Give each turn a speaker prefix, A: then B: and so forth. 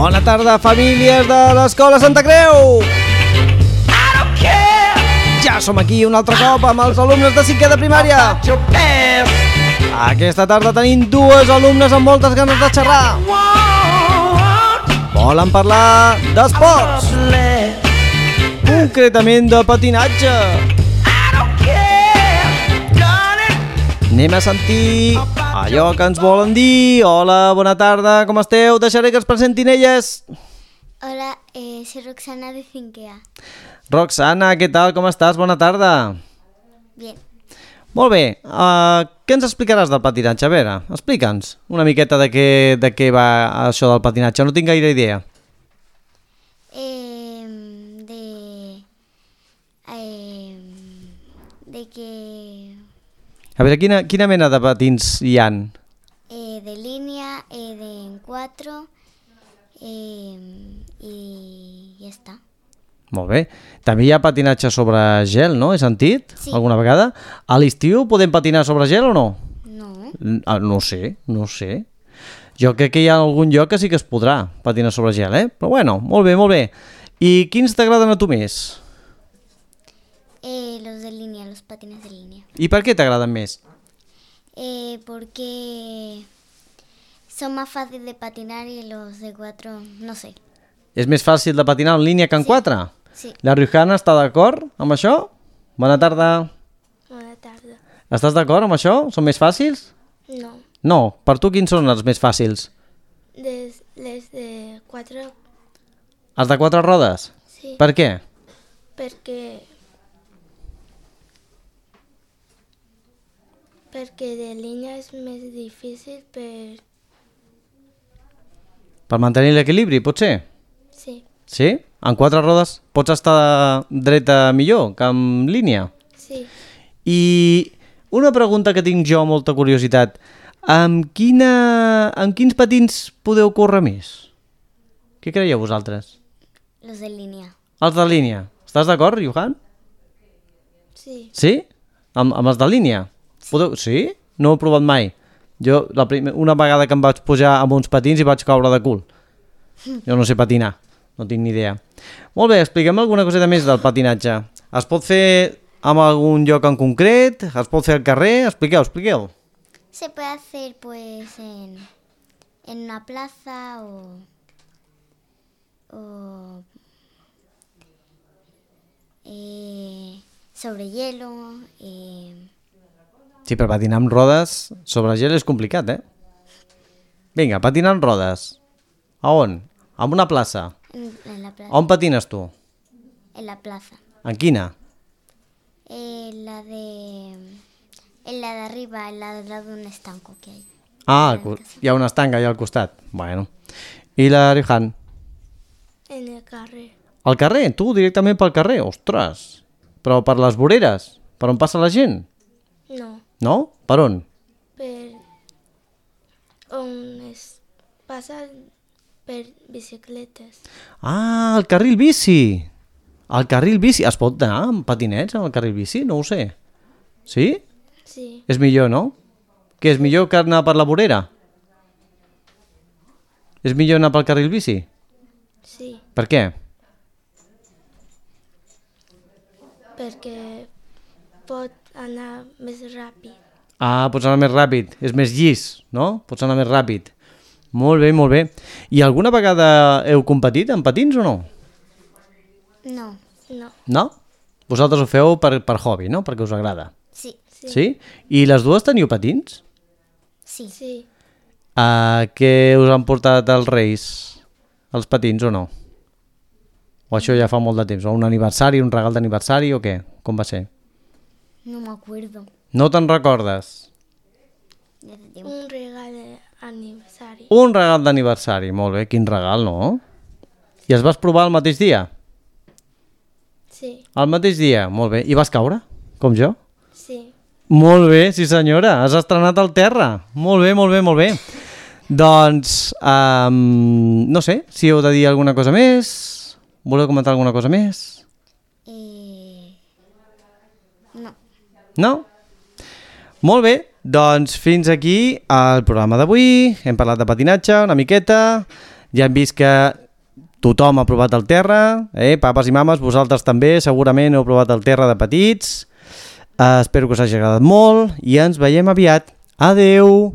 A: Bona tarda, famílies de l'Escola Santa Creu! Ja som aquí un altre cop amb els alumnes de 5è de primària. Aquesta tarda tenim dues alumnes amb moltes ganes de xerrar. Volen parlar d'esports, concretament de patinatge. Anem a sentir allò que ens volen dir. Hola, bona tarda, com esteu? Deixaré que es presentin elles.
B: Hola, soy Roxana de 5A.
A: Roxana, què tal? Com estàs? Bona tarda.
B: Bien.
A: Molt bé, què ens explicaràs del patinatge? A veure, explica'ns una miqueta de què va això del patinatge. No tinc gaire idea.
B: De que...
A: A veure, quina mena de patins hi han?
B: de línea, de en 4, y ya está.
A: Molt bé. També hi ha patinatge sobre gel, no? He sentit?
B: Sí.
A: Alguna vegada? A l'estiu podem patinar sobre gel o no?
B: No.
A: No sé. Jo crec que hi ha algun lloc que sí que es podrà patinar sobre gel, eh? Però bueno, molt bé. I quins t'agraden a tu més?
B: Los de línea, los patines de línea.
A: I per què t'agraden més?
B: Porque son más fáciles de patinar y los de 4, no sé.
A: És més fàcil de patinar en línia que en 4?
B: Sí.
A: La Riojana està d'acord amb això? Bona tarda.
B: Bona tarda.
A: Estàs d'acord amb això? Són més fàcils?
B: No.
A: No. Per tu quins són els més fàcils?
B: Les de 4,
A: Els de 4 rodes?
B: sí.
A: Per què?
B: Perquè de línia és més difícil
A: Per mantenir l'equilibri, potser?
B: Sí.
A: Sí? En 4 rodes pots estar dreta millor que en línia?
B: Sí.
A: I una pregunta que tinc jo, molta curiositat. Amb quins patins podeu córrer més? Què creieu vosaltres?
B: Los de línea.
A: Els de línia. Estàs d'acord, Johan?
B: Sí.
A: Sí? Amb els de línia? Sí? No ho he provat mai. Jo una vegada que em vaig pujar amb uns patins i vaig caure de cul. Jo no sé patinar, no tinc ni idea. Molt bé, expliquem alguna coseta més del patinatge. Es pot fer en algun lloc en concret? Es pot fer al carrer? Expliqueu.
B: Se puede hacer pues en una plaza o sobre hielo.
A: Sí, però patinar amb rodes sobre gel és complicat, eh? Vinga, patinar amb rodes. A on? En una plaça.
B: En la plaza.
A: On patines tu?
B: En la plaza.
A: En quina?
B: En la de arriba, en la del lado de un estanco que hay.
A: Ah, hi ha una estanga allà al costat. Bueno. I la Rihan?
B: En el carrer.
A: Al carrer? Tu, directament pel carrer? Ostres! Però per les voreres? Per on passa la gent?
B: No.
A: No? Per on?
B: Passa per bicicletes.
A: Ah, el carril bici! El carril bici. Es pot anar amb patinets al carril bici? No ho sé. Sí?
B: Sí.
A: És millor, no? Què, és millor que anar per la vorera? És millor anar pel carril bici?
B: Sí.
A: Per què?
B: Perquè pot anar més ràpid.
A: Ah, pots anar més ràpid. És més llis, no? Pots anar més ràpid. Molt bé. I alguna vegada heu competit en patins o no?
B: No.
A: No? Vosaltres ho feu per hobby, no? Perquè us agrada.
B: Sí.
A: Sí? I les dues teniu patins?
B: Sí.
A: Què us han portat els Reis? Els patins o no? O això ja fa molt de temps? O un aniversari, un regal d'aniversari o què? Com va ser?
B: No me acuerdo.
A: No te'n recordes?
B: Un regal d'aniversari.
A: Un regal d'aniversari, molt bé. Quin regal, no? I es vas provar el mateix dia?
B: Sí.
A: El mateix dia, molt bé. I vas caure, com jo?
B: Sí.
A: Molt bé, sí senyora. Has estrenat al terra. Molt bé. Doncs, no sé, si heu de dir alguna cosa més. Voleu comentar alguna cosa més?
B: No.
A: No? Molt bé, doncs fins aquí el programa d'avui. Hem parlat de patinatge una miqueta. Ja hem vist que tothom ha provat el terra, papes i mames, vosaltres també segurament heu provat el terra de petits. Espero que us hagi agradat molt i ens veiem aviat. Adeu!